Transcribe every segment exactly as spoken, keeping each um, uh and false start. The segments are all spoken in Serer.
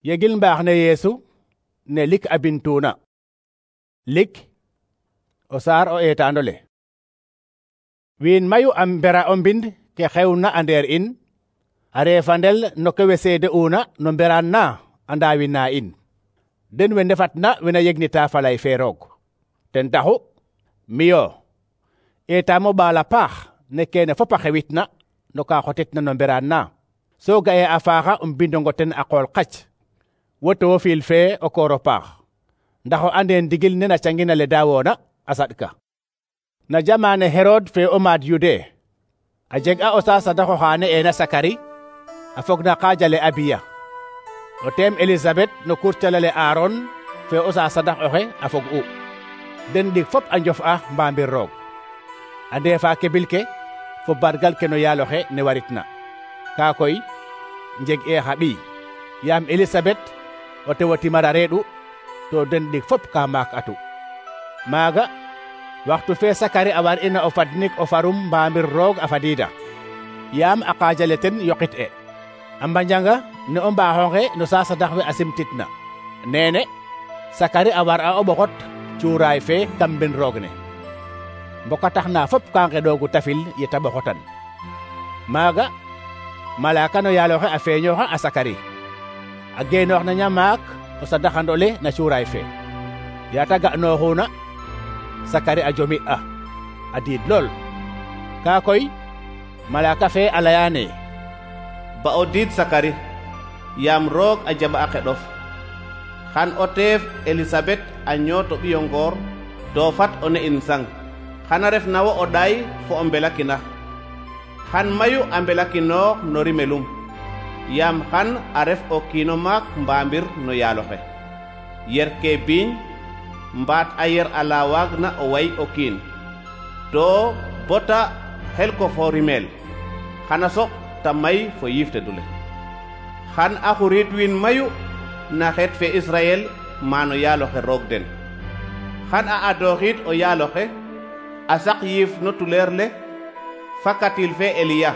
Yegil mbaax ne Yeesu ne lik a bintuna. Lik o saar o eetaandole. Wiin mayu am mbera o mbind ke xewna a ndeer in, a reefandel no ke we seede una no mberaan na a ndaawina in. Den we ndefatna wena yegnita falay fe roog. Ten taxu, miyo, eetaamo ɓaala paax ne kene fop a xewitna no ka xotetna no mberaan na. So ga'e a faaxa um bindongo ten a qool qac. Wo Tewofiil fe o kooro paax. Ndax o ande ndigil ne na cangina le daawoona a saɗka. Na jamaane Herod fe o maad Yude, a jeg a o saasadaxo xaane eena Sakari, a fog na qaajale Abiya. O teem Elisabet no kurcalale Aaron fe o saasadax oxe a fog u. Den ɗik fop a njof a mbaambir roog. A ndeefa kebil ke fo bargal ke no yaaloxe ne waritna. Kaa koy njeg e xa ɓiy, yaam Elisabet o tewo timara reeɗu, to den ɗik fop ka maak atu. Maaga waxtu fe Sakari a war ina o fadnik o farum mbaambir roog a fadiida, yaam a qaajale ten yoqit e. A mbanjanga ne o mbaaxonge no saasadax we a simtitna. Neene Sakari a war a o ɓoxot cuuraay fe kam mbin roog ne. Mbokatax na fop ka ngeɗoogu tafil yeta ɓoxotan. Maaga malaaka no yaaloxe a feeñooxa a Sakari, a geenoox na ñamaak o sadaxandole na cuuraay fe. Yaata ga'nooxuna, Sakari a jomi a a diid lool. Kaa koy malaaka fe a layaane, ba o diid Sakari, yaam roog a jaɓa a qeɗof. Xan o teef Elisabet a ñooto ɓiyo ngoor to fat o ne'in sang. Xana ref na wo o ɗaay fo o mbelakina. Xan mayu a mbelakinoox no rimelum, yaam xan a ref o kiino maak mbaambir no yaaloxe. Yer ke biiñ mbaat a yer ala waagna o way o kiin, to bota xel ko fo rimel, xana soq ta may fo yiifte dule. Xan a xurit wiin mayu na xeet fe Israel maano yaaloxe roog den. Xan a adooxiid o yaaloxe a saq yiif no tuleer le fakatil fe Eliya.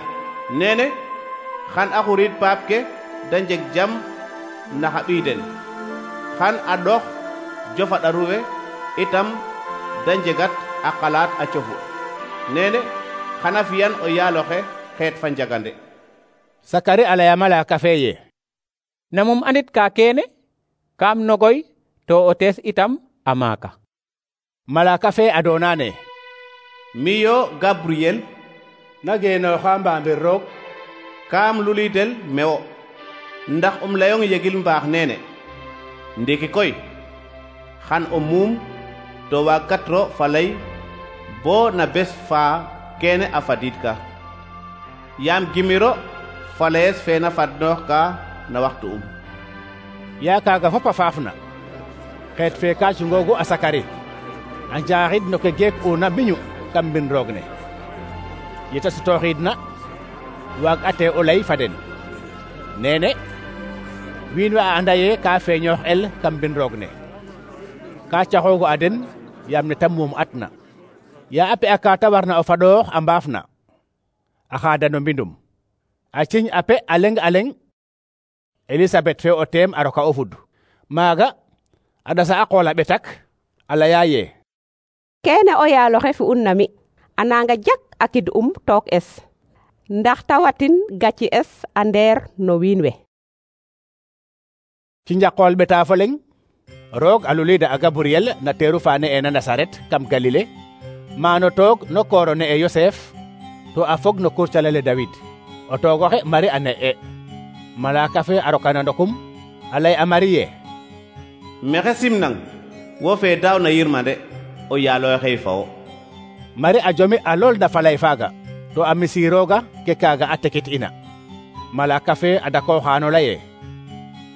Nene xan a xurit paap ke da njeg jam na xa ɓiy den. Xan a ɗox jofa ɗaruwe itam da njegat a qalaat a cofu. Nene xana fiyan o yaaloxe xeet fa njagande. Sakari a laya malaaka fe ye, namum andit ka kene, kam nogoy to o tees itam a maaka. Malaaka fe a doonaane, miyo Gabriel, na geenooxa mbaambir roog, kaam lulidel mewo, ndax um layong yegil mbaax nene. Ndiki koy xan o muum to waagatro falay bo na bes fa kene a fadiid ka, yaam gimiro falees fe na fadnoox ka na waxtu um. yaa kaaga fop a faafna. Xeet fe ka cungoogu a Sakari, a njaaxid no ke geek una mbiñu kam mbin roog ne. Yeta sutooxiidna waag ate o lay fa den. Neene wiin we a anda ye ka feeñoox el kam mbin roog ne. Ka caxoogu a den yaam ne ta muum atna. Yaa a pe'a ka ta warna o fadoox a mbaafna, a xaada no mbindum. A ciñ a pe a leng a leng, Elisabet fe o teem a roka o fud. Maaga a ɗasa a qool a ɓetak, a laya ye, kene o yaaloxe fi'un na mi, a nanga jak a kid um took es, ndax ta watin gaci es a ndeer no wiin we. Ci njaqool ɓeta fo leng, roog a lulida a Gabriel na teeru faane ena Nasaret kam Galile, maano toog no kooro ne e Yosef, to a fog no kurcalale David. O toogoxe Mari a ne'e. Malaaka fe a rokana ndokum, a lay a Mari ye, mexe simnang, wo fe daaw na yirmande, o yaaloxey fa wo. Mari a jomi a lool da falay faaga, to a misiirooga ke kaaga a tekit ina. Malaaka fe a dakooxaano laye,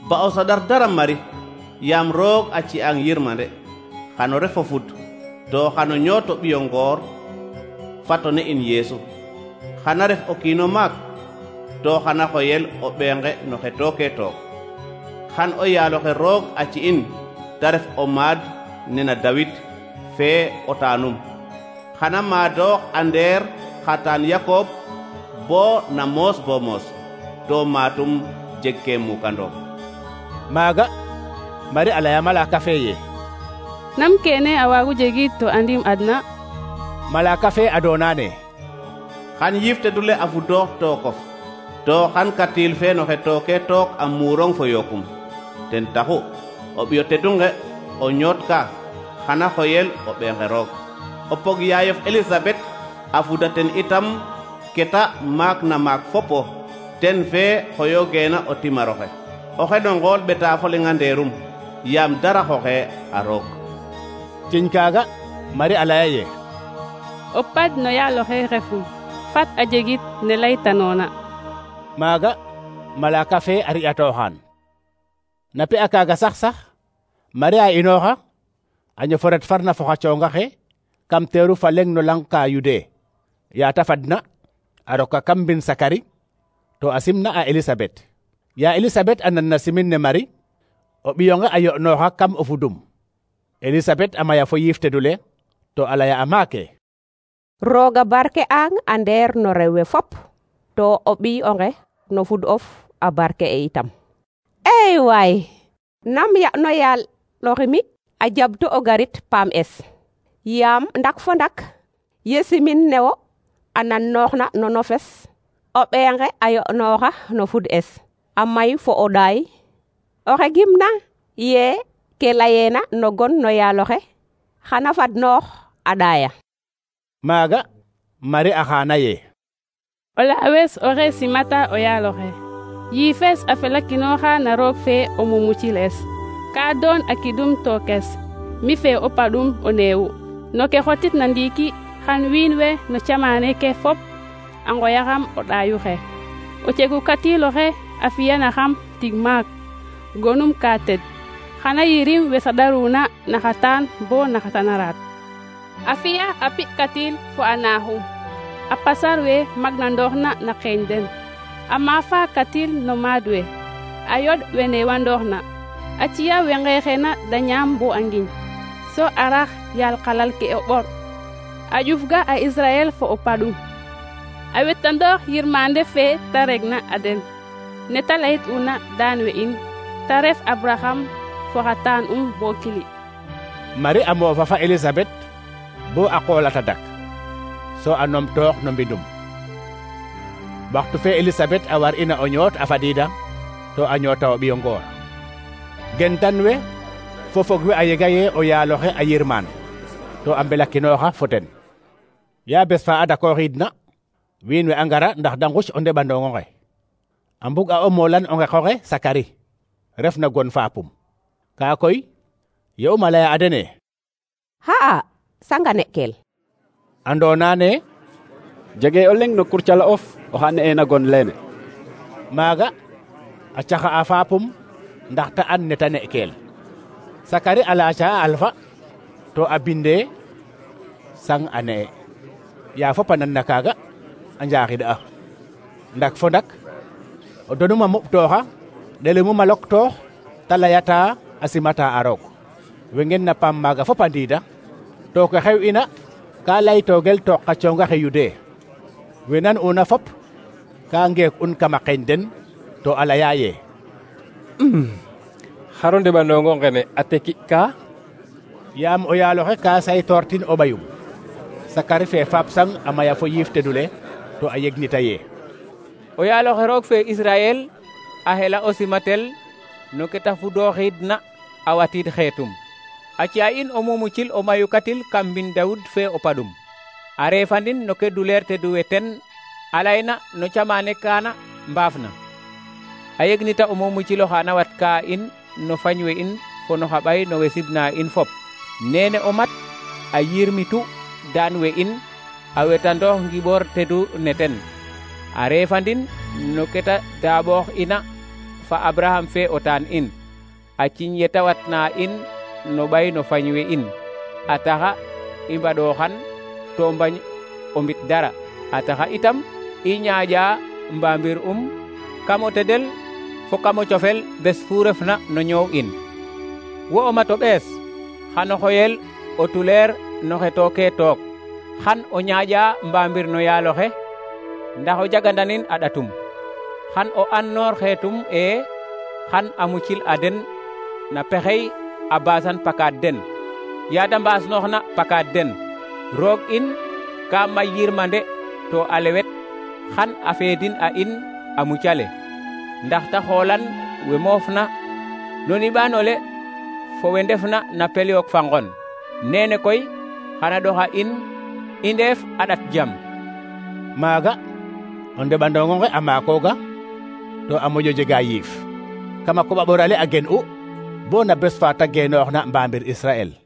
ba o saɗar dara Mari, yaam roog a ci'ang yirmande, xano ref o fud, to xano ñooto ɓiyo ngoor fato ne in Yeesu. Xana ref o kiino maak, to xana xoyel o ɓeenge no xe tooke took. Xan o yaaloxe roog a ci'in ta ref o maad nena Dawid fe o taanum. Xana maadoox a ndeer xataan Yakob bo na moos bo moos, to maatum jeg ke mukandoom. Maaga Marie a laya malaka fe ye nam kene a waagu jegit to andim adna. Malaka fe a doonane xan yiif tedule a fudoox tookof to xan katil fe no xe tooke took a muurong fo yokum. ten taxu o ɓiyo tedunge o ñoot ka xana xoyel o ɓeexe roog. o pog yaayof Elisabet a fuda ten itam keta maak na maak fopo ten fe xoyogeena o timaroxe. oxe no ngool ɓeta fo lenga ndeerum yaam dara xoxe a roog. ciñ kaaga Marie a laya ye o pad no yaaloxe refum fat a jegit ne laytanoona. Maaga malaka fe a ri'atooxaan. na pe a kaaga sax sax Marie a inooxa a ñofo ret farna fo xa coonga xe kam teeru fa leŋ no lang ka Yude. yaa ta fadna a roka kam mbin Sakari to a simna a Elisabet. yaa Elisabet a nan na simin ne Marie o ɓiyonge a yo'nooxa kam o fudum. Elisabet a maya fo yiif tedule to a laya a maake Rooga barke ang a ndeer no rewe fop to o ɓiyonge no fud of a barke e itam. ey waay nam ya no yaal loximi a jabto o garit paam es yaam ndak fo ndak ye simin newo a nan nooxna no nofes o ɓeenge a yo'nooxa no fud es a may fo o ɗaay oxe gimna ye ke layeena no gon no yaaloxe xana fad noox a ɗaaya. Maaga Marie a xaana ye o laawes oxe simata o yaaloxe yiifes a felakinooxa na roog fe o mumuciles ka doon a kidum tookes mi fe o paɗum o neewu no ke xotit na ndiiki xan wiin we no camaane ke fop a ngoyaxam o ɗaayuxe o cegu katiloxe a fiyanaxam tig maak gonum ka ted xana yirim we saɗaruna naxatan bo naxatanaraat a fiya a pi katil fo a naaxum a pasar we magna ndooxna na xeeñ den a maafa katil no maad we a yoɗ we neewa ndooxna a ciya we ngeexena da ñaam bo a ngiñ so a rax yaal xalal ke o ɓor a ƴufga a Israel fo o paɗum a wetandoox yirmande fe ta regna a den ne ta layit una daan we in ta ref Abraham fo xa taan um bo kili. Marie a moofa fa Elisabet bo a qoolata dak so a numtoox no mbindum. waxtu fe Elisabet a war ina o ñoot a fadiida to a ñoota o ɓiyo ngoor. gentan we fo fog we a yega ye o yaaloxe a yirmaan to a mbelakinooxa fo ten. yaa bes fa a dakooxiidna wiin we a ngara ndax da nguc o ndeɓandong onge a mbug a o moolan o ngeqoxe Sakari ref na gon faapum. kaa koy ye um a laya a dene xa'a sangane kel andoona ne jege o leŋ no kurcala of oxa ne'eena gon leene. maaga a caxa a faapum ndax ta an ne ta ne'keel. Sakari a laaca a alfa to a binde sang a ne'e. yaa fop a nan na kaaga a njaaxid'a ndak fo ndak o donum a muɓtooxa ɗelumum a loktoox ta layata a simata a roog. we ngen na paam maaga fop a ndiida to ke xew ina ka laytoogel took xa coonga xe Yude. we nan una fop ka ngeek un kama qeeñ den to a laya ye xaro ndeɓandongo ngene a teki ka yaam o yaaloxe ka saytoortin o ɓayum. Sakari fe faap sang a maya fo yiif tedule to a yegnita ye o yaaloxe roog fe Israel a xela o simatel no ke ta fudooxiidna a watiid xeetum a ci'a in o mumucil o mayukatil kam mbin Dawud fe o paɗum a reefandin no ke duleer teduwe ten a layna no camaane kaana mbaafna a yegnita o mumuciloxa na wat ka in no fañ we in fo no xa ɓay no we sibna in fop nene o mat a yirmitu daan we in a wetandoox ngiɓoor tedu ne ten a reefandin no ke ta daaɓoox ina fa Abraham fe o taan in a ciñ ye ta watna in no ɓay no fañ we in a taxa i mbaɗooxan to mbañ o mbit dara a taxa itam i ñaaƴa mbamir um kam o tedel fo kam o cofel bes fu refna no ñoow in. wo o mat o ɓees xano xoyel o tuleer no xe tooke took xan o ñaaƴa mbamir no yaaloxe ndax o jagandanin a ɗatum xan o an noor xeetum e xan a mucil a den na pexey a basan pakaad den yaada mbaasnooxna pakaad den. Roog in ka may yirmande to a lewet xan a feedin a in a mucale, ndax ta xoolan we moofna no niɓaanole fo we ndefna na pel yook fa ngon. Nene koy xana ɗoxa in i ndeef a ɗat jam. Maaga o ndeɓandong onge a maakooga to a moƴo jega yiif kama koɓa ɓorale a gen'u bo na bes fa ta genooxna mbamir Israel.